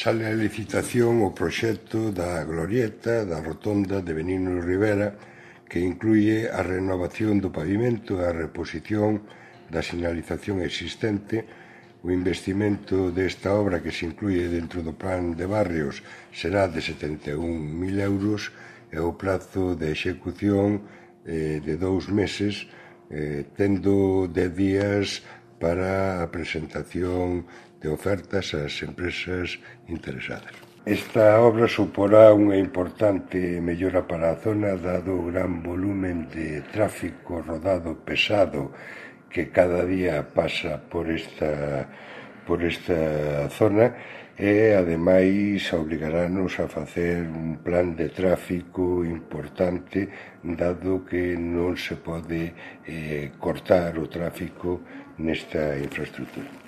Sale a licitación o proxecto da glorieta da rotonda de Benigno Rivera, que incluye a renovación do pavimento e a reposición da sinalización existente. O investimento desta obra, que se incluye dentro do plan de barrios, será de 71.000 euros e o prazo de execución de 2 meses, tendo 10 días para a presentación de ofertas ás empresas interesadas. Esta obra suporá unha importante mellora para a zona, dado o gran volumen de tráfico rodado pesado que cada día pasa por esta zona, e ademais obligarános a facer un plan de tráfico importante, dado que non se pode cortar o tráfico nesta infraestructura.